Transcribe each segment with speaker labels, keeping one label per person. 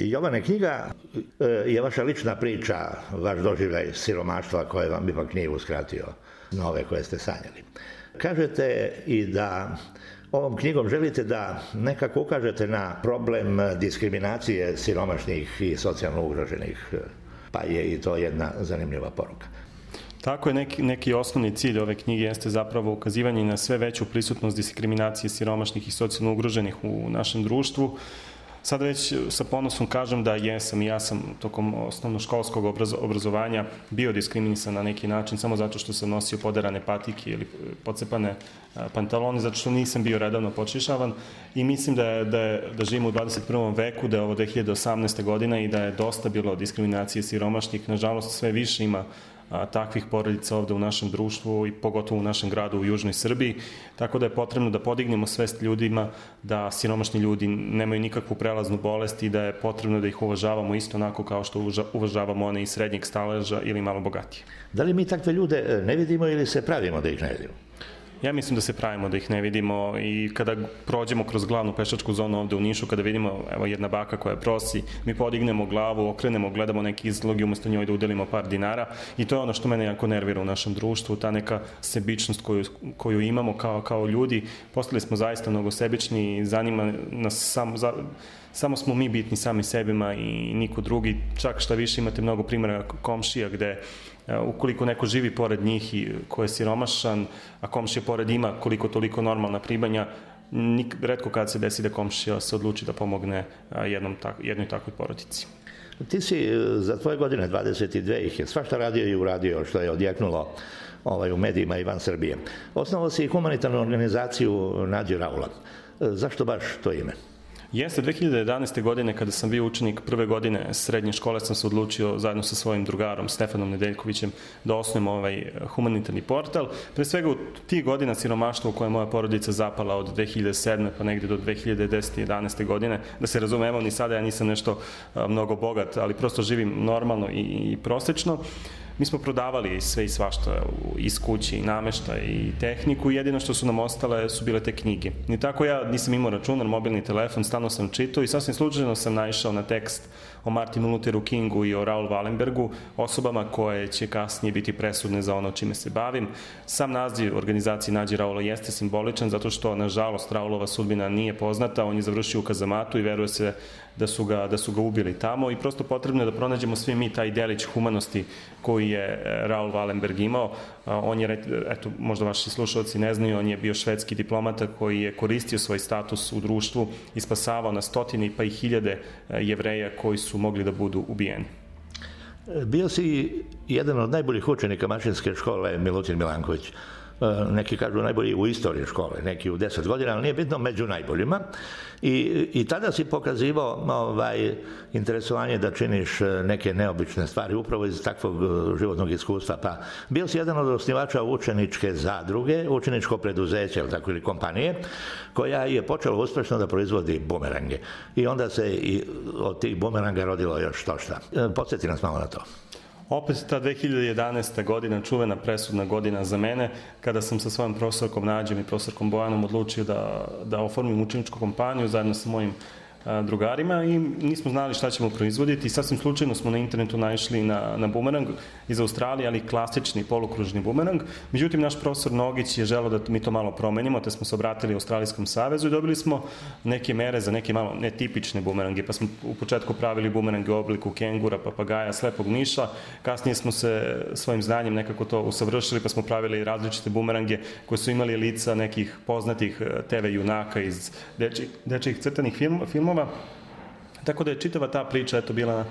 Speaker 1: Jovane, knjiga je vaša lična priča, vaš doživljaj siromaštva koje vam ipak nije uskratio snove koje ste sanjali. Kažete i da ovom knjigom želite da nekako ukažete na problem diskriminacije siromašnih i socijalno ugroženih, pa je i to jedna zanimljiva poruka.
Speaker 2: Tako je, neki osnovni cilj ove knjige jeste zapravo ukazivanje na sve veću prisutnost diskriminacije siromašnih i socijalno ugroženih u našem društvu. Sad već sa ponosom kažem da ja sam tokom osnovnoškolskog obrazovanja bio diskriminisan na neki način samo zato što sam nosio poderane patike ili pocepane pantalone, zato što nisam bio redovno počešavan i mislim da živimo u 21. veku, da je ovo 2018. godina i da je dosta bilo diskriminacije siromašnih. Nažalost, sve više ima takvih porodica ovde u našem društvu i pogotovo u našem gradu u Južnoj Srbiji, tako da je potrebno da podignemo svest ljudima da siromašni ljudi nemaju nikakvu prelaznu bolest i da je potrebno da ih uvažavamo isto onako kao što uvažavamo one iz srednjeg staleža ili malo bogatije.
Speaker 1: Da li mi takve ljude ne vidimo ili se pravimo da ih ne vidimo?
Speaker 2: Ja mislim da se pravimo da ih ne vidimo i kada prođemo kroz glavnu pešačku zonu ovde u Nišu, kada vidimo evo jedna baka koja prosi, mi podignemo glavu, okrenemo, gledamo neki izlog i umesto njoj da udelimo par dinara i to je ono što mene jako nervira u našem društvu, ta neka sebičnost koju imamo kao ljudi. Postali smo zaista mnogo sebični i zanima nas samo smo mi bitni sami sebima i niko drugi, čak šta više imate mnogo primjera komšija gde ukoliko neko živi pored njih i ko je siromašan, a komšija pored ima koliko toliko normalna primanja, retko kad se desi da komšija se odluči da pomogne jednoj takvoj porodici.
Speaker 1: Ti si za tvoje godine, 22 ih je, svašta radio i uradio što je odjeknulo u medijima i van Srbije. Osnovao si humanitarnu organizaciju Nađe Raula. Zašto baš to ime?
Speaker 2: Jeste, 2011. godine kada sam bio učenik prve godine srednje škole sam se odlučio zajedno sa svojim drugarom Stefanom Nedeljkovićem da osnujem ovaj humanitarni portal. Pre svega u tih godina siromaštva u koje moja porodica zapala od 2007. pa negde do 2010. 11. godine, da se razumemo, ni sada ja nisam nešto mnogo bogat, ali prosto živim normalno i prosečno. Mi smo prodavali sve i svašta iz kuće i namešta i tehniku i jedino što su nam ostale su bile te knjige. I tako ja nisam imao računar, mobilni telefon, stalno sam čitao i sasvim slučajno sam naišao na tekst o Martinu Lutheru Kingu i o Raul Wallenbergu, osobama koje će kasnije biti presudne za ono čime se bavim. Sam naziv organizacije Nađi Raula jeste simboličan zato što, nažalost, Raulova sudbina nije poznata, on je završio u kazamatu i veruje se da su ga ubili tamo i prosto potrebno je da pronađemo svi mi taj delić humanosti koji je Raul Wallenberg imao. On je, eto, možda vaši slušalci ne znaju, on je bio švedski diplomata koji je koristio svoj status u društvu i spasavao na stotine pa i hiljade Jevreja koji su mogli da budu ubijeni.
Speaker 1: Bio si jedan od najboljih učenika mašinske škole Milutin Milanković. Neki kažu najbolji u istoriji škole, neki u 10 godina, ali nije bitno, među najboljima. I tada si pokazivao interesovanje da činiš neke neobične stvari, upravo iz takvog životnog iskustva. Pa bio si jedan od osnivača učeničke zadruge, učeničko preduzeće ili kompanije, koja je počela uspešno da proizvodi bumerange. I onda se i od tih bumeranga rodilo još to šta. Podsjeti nas malo na to.
Speaker 2: Opet ta 2011. godina, čuvena presudna godina za mene, kada sam sa svojom profesorkom Nađem i profesorkom Bojanom odlučio da oformim učeničku kompaniju zajedno sa mojim drugarima i nismo znali šta ćemo proizvoditi i sasvim slučajno smo na internetu naišli na bumerang iz Australije, ali klasični polukružni bumerang. Međutim, naš profesor Nogić je želeo da mi to malo promenimo, te smo se obratili Australijskom savezu i dobili smo neke mere za neke malo netipične bumerange, pa smo u početku pravili bumerange u obliku kengura, papagaja, slepog miša, kasnije smo se svojim znanjem nekako to usavršili, pa smo pravili različite bumerange koje su imali lica nekih poznatih TV junaka iz dečjih crtanih filmova. Tako da je čitava ta priča bila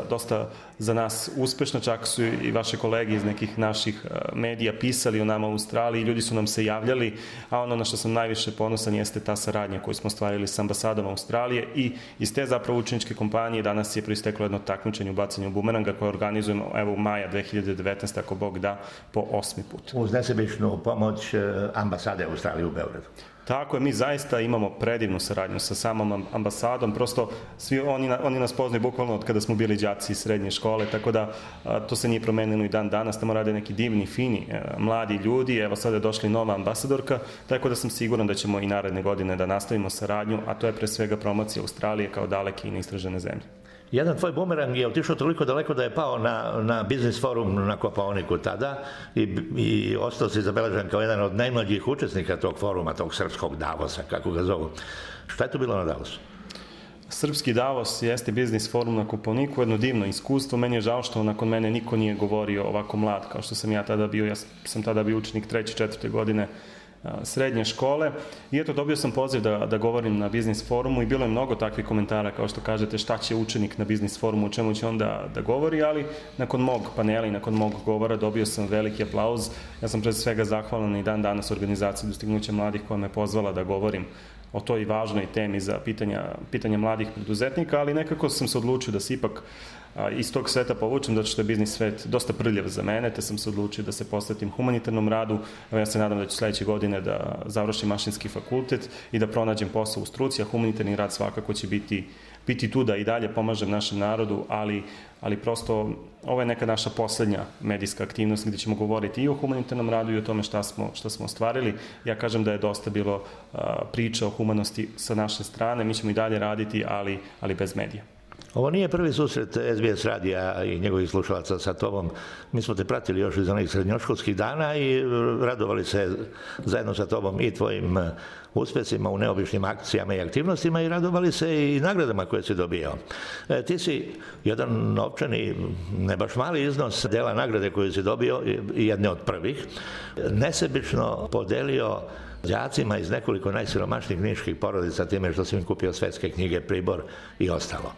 Speaker 2: dosta za nas uspešna, čak su i vaše kolege iz nekih naših medija pisali o nama u Australiji, ljudi su nam se javljali, a ono na što sam najviše ponosan jeste ta saradnja koju smo stvarili s ambasadom Australije i iz te zapravo učeničke kompanije danas je proisteklo jedno takmičenje u bacanju bumeranga koje organizujemo evo u maja 2019. ako Bog da, po 8. put.
Speaker 1: Uz nesebičnu pomoć ambasade Australije u Beogradu.
Speaker 2: Tako je, mi zaista imamo predivnu saradnju sa samom ambasadom, prosto svi oni nas poznaju bukvalno od kada smo bili đaci iz srednje škole, tako da to se nije promenilo i dan danas, tamo rade neki divni, fini, mladi ljudi, evo sada je došla i nova ambasadorka, tako da sam siguran da ćemo i naredne godine da nastavimo saradnju, a to je pre svega promocija Australije kao daleke i neistražene zemlje.
Speaker 1: Jedan tvoj bumerang je otišao toliko daleko da je pao na biznis forum na Kopaoniku tada i ostao si zabeležen kao jedan od najmlađih učesnika tog foruma, tog srpskog Davosa, kako ga zovu. Šta je to bilo na Davosu?
Speaker 2: Srpski Davos jeste biznis forum na Kopaoniku, jedno divno iskustvo. Meni je žao što nakon mene niko nije govorio ovako mlad kao što sam ja tada bio. Ja sam tada bio učenik 3. 4. godine srednje škole i eto dobio sam poziv da govorim na biznis forumu i bilo je mnogo takvih komentara kao što kažete šta će učenik na biznis forumu, o čemu će on da govori, ali nakon mog panela i nakon mog govora dobio sam veliki aplauz. Ja sam pre svega zahvalan i dan danas organizaciji Dostignuća mladih koja me pozvala da govorim o toj važnoj temi za pitanja mladih preduzetnika, ali nekako sam se odlučio da se ipak iz tog sveta povučem, zato što je biznis svet dosta prljav za mene, te sam se odlučio da se posvetim humanitarnom radu. Ja se nadam da ću sledeće godine da završim mašinski fakultet i da pronađem posao u struci, a humanitarni rad svakako će biti tu da i dalje pomažem našem narodu, ali prosto ovo je neka naša poslednja medijska aktivnost gde ćemo govoriti i o humanitarnom radu i o tome šta smo ostvarili. Ja kažem da je dosta bilo priča o humanosti sa naše strane, mi ćemo i dalje raditi, ali bez medija.
Speaker 1: Ovo nije prvi susret SBS radija i njegovih slušalaca sa tobom. Mi smo te pratili još iz onih srednjoškolskih dana i radovali se zajedno sa tobom i tvojim uspesima u neobičnim akcijama i aktivnostima i radovali se i nagradama koje si dobio. Ti si jedan novčani, ne baš mali iznos dela nagrade koju si dobio, jedne od prvih, nesebično podelio đacima iz nekoliko najsiromašnijih niških porodica time što si im kupio svetske knjige, pribor i ostalo.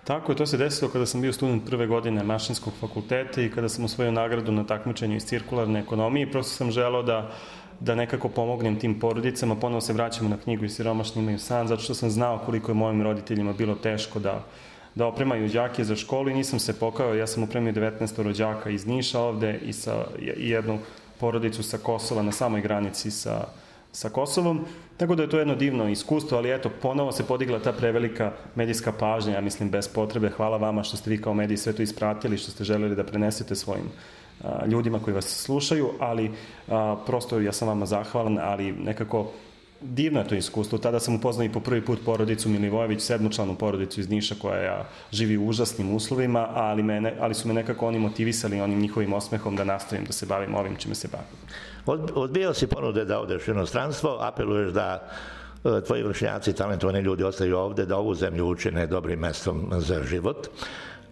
Speaker 2: Tako je, to se desilo kada sam bio student prve godine mašinskog fakulteta i kada sam osvojio nagradu na takmičenju iz cirkularne ekonomije. Prosto sam želeo da nekako pomognem tim porodicama. Ponovo se vraćamo na knjigu I siromašni imaju san, zato što sam znao koliko je mojim roditeljima bilo teško da opremaju đake za školu i nisam se pokajao. Ja sam opremio 19 rođaka iz Niša ovde i jednu porodicu sa Kosova na samoj granici sa Kosovom, tako da je to jedno divno iskustvo, ali eto, ponovo se podigla ta prevelika medijska pažnja, ja mislim, bez potrebe. Hvala vama što ste vi kao mediji sve to ispratili, što ste želeli da prenesete svojim ljudima koji vas slušaju, ali prosto ja sam vama zahvalan, ali nekako divno je to iskustvo. Tada sam upoznao i po prvi put porodicu Milivojević, 7-članu porodicu iz Niša koja živi u užasnim uslovima, ali su me nekako oni motivisali onim njihovim osmehom da nastavim da se bavim ovim čime se bavim.
Speaker 1: Odbijao si ponude da odeš u inostranstvo, apeluješ da tvoji vršnjaci, talentovani ljudi ostaju ovde, da ovu zemlju učine dobrim mestom za život.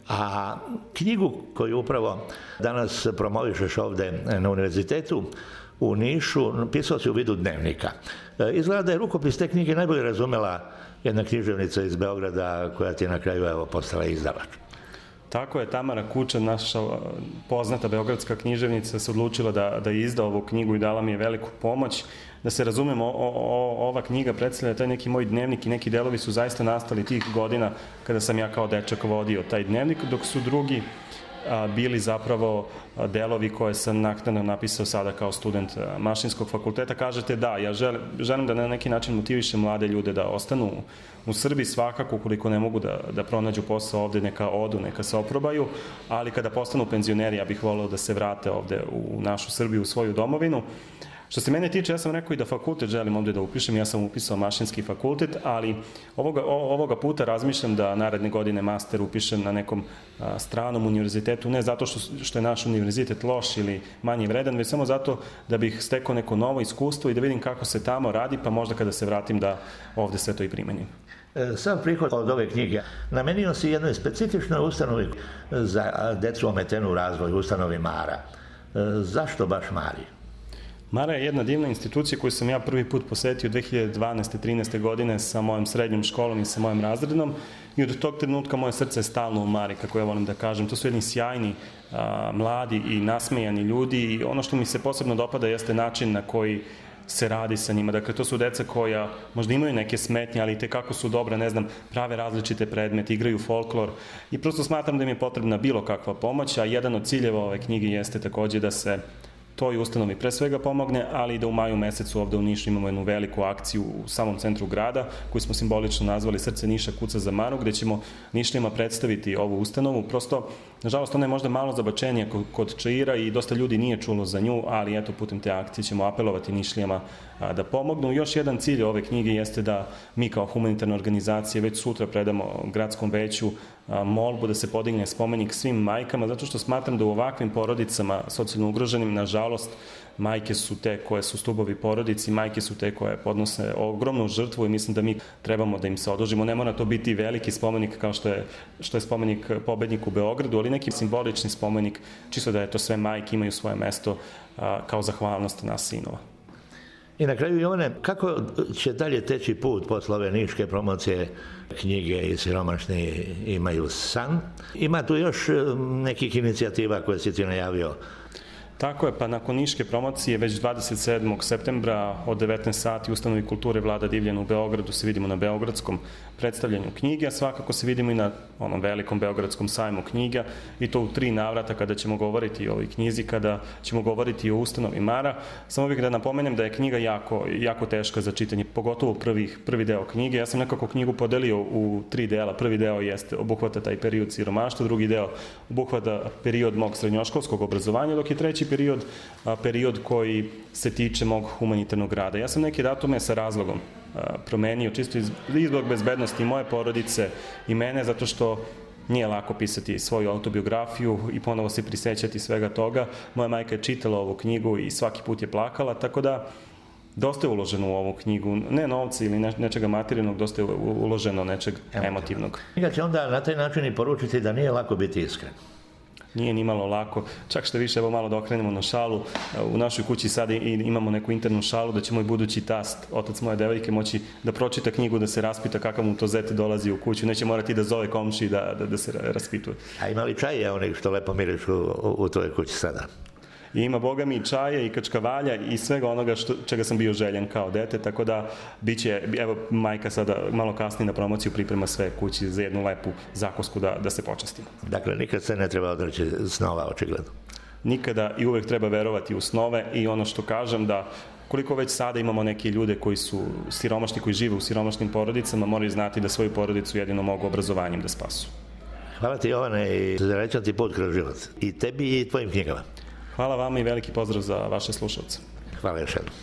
Speaker 1: A knjigu koju upravo danas promovišeš ovde na univerzitetu u Nišu, pisao si u vidu dnevnika. Izgleda da je rukopis te knjige najbolje razumela jedna književnica iz Beograda koja ti je na kraju postala izdavač.
Speaker 2: Tako je, Tamara Kučan, naša poznata beogradska književnica, se odlučila da izda ovu knjigu i dala mi je veliku pomoć. Da se razumemo, ova knjiga predstavlja taj neki moj dnevnik i neki delovi su zaista nastali tih godina kada sam ja kao dečak vodio taj dnevnik, dok su drugi bili zapravo delovi koje sam naknadno napisao sada kao student mašinskog fakulteta. Kažete da, ja želim da na neki način motivišem mlade ljude da ostanu u Srbiji, svakako ukoliko ne mogu da pronađu posao ovde, neka odu, neka se oprobaju, ali kada postanu penzioneri, ja bih voleo da se vrate ovde u našu Srbiju, u svoju domovinu. Što se mene tiče, ja sam rekao i da fakultet želim ovde da upišem, ja sam upisao mašinski fakultet, ali ovoga puta razmišljam da naredne godine master upišem na nekom stranom univerzitetu, ne zato što je naš univerzitet loš ili manje vredan, već samo zato da bih stekao neko novo iskustvo i da vidim kako se tamo radi, pa možda kada se vratim da ovde sve to i primenim.
Speaker 1: Sam prihod od ove knjige namenio si jednoj specifičnoj ustanovi za decu ometenu u razvoju, ustanovi Mara. Zašto baš Mari?
Speaker 2: Mara je jedna divna institucija koju sam ja prvi put posetio 2012-13. godine sa mojom srednjom školom i sa mojim razrednom i od tog trenutka moje srce je stalno u Mari, kako ja volim da kažem. To su jedni sjajni, mladi i nasmejani ljudi i ono što mi se posebno dopada jeste način na koji se radi sa njima. Dakle, to su deca koja možda imaju neke smetnje, ali tekako su dobra, ne znam, prave različite predmete, igraju folklor i prosto smatram da im je potrebna bilo kakva pomoć, a jedan od ciljeva ove knjige jeste takođe da se toj ustanovi pre svega pomogne, ali i da u maju mesecu ovde u Nišu imamo jednu veliku akciju u samom centru grada, koju smo simbolično nazvali Srce Niša kuca za Manu, gde ćemo Nišlijama predstaviti ovu ustanovu. Prosto, nažalost, ona je možda malo zabačenija kod Čaira i dosta ljudi nije čulo za nju, ali eto, putem te akcije ćemo apelovati Nišlijama da pomognu. Još jedan cilj ove knjige jeste da mi kao humanitarna organizacija već sutra predamo gradskom veću molbu da se podigne spomenik svim majkama, zato što smatram da u ovakvim porodicama socijalno ugroženim, nažalost, majke su te koje su stubovi porodici, majke su te koje podnose ogromnu žrtvu i mislim da mi trebamo da im se odužimo. Ne mora to biti veliki spomenik kao što je spomenik pobedniku u Beogradu, ali neki simbolični spomenik, čisto da je to sve majke imaju svoje mesto kao zahvalnost nas sinova.
Speaker 1: I na kraju, Jovane, kako će dalje teći put posle ove niške promocije knjige I siromašni imaju san? Ima tu još nekih inicijativa koje si ti najavio?
Speaker 2: Tako je, pa nakon niške promocije već 27. septembra od 19 sati u Ustanovi kulture Vlada Divljana u Beogradu se vidimo na beogradskom predstavljanju knjige, a svakako se vidimo i na onom velikom beogradskom sajmu knjiga i to u 3 navrata kada ćemo govoriti o ovoj knjizi, kada ćemo govoriti o Ustanovi Mara. Samo bih da napomenem da je knjiga jako teška za čitanje, pogotovo prvi deo knjige. Ja sam nekako knjigu podelio u 3 dela. Prvi deo obuhvata taj period siromaštva, drugi deo obuhvata period mog srednjoškolskog obrazovanja, dok je treći period koji se tiče mog humanitarnog rada. Ja sam neke datume sa razlogom promenio, čisto zbog bezbednosti moje porodice i mene, zato što nije lako pisati svoju autobiografiju i ponovo se prisećati svega toga. Moja majka je čitala ovu knjigu i svaki put je plakala, tako da dosta je uloženo u ovu knjigu, ne novca ili nečega materijalnog, dosta je uloženo nečeg emotivnog.
Speaker 1: Knjiga će onda na taj način i poručiti da nije lako biti iskren.
Speaker 2: Nije ni malo lako, čak što više, evo malo da okrenemo na šalu, u našoj kući sada imamo neku internu šalu da će moj budući tast, otac moje devojke, moći da pročita knjigu, da se raspita kakav mu to zet dolazi u kuću, neće morati da zove komši da se raspituje.
Speaker 1: A ima li čaje onih što lepo mirišu u tvojoj kući sada?
Speaker 2: I ima, boga mi, i čaje i kačkavalja i svega onoga čega sam bio željen kao dete, tako da biće, evo majka sada malo kasnije na promociju priprema sve kući za jednu lepu zakosku da se počastimo.
Speaker 1: Dakle, nikad se ne treba odreći snova, očigledno.
Speaker 2: Nikada i uvek treba verovati u snove i ono što kažem da koliko već sada imamo neke ljude koji su siromašni, koji žive u siromašnim porodicama, moraju znati da svoju porodicu jedino mogu obrazovanjem da spasu.
Speaker 1: Hvala ti, Jovane, i srećan ti put kroz život. I tebi i tvojim knjigama.
Speaker 2: Hvala vama i veliki pozdrav za vaše slušalce.
Speaker 1: Hvala još jednom.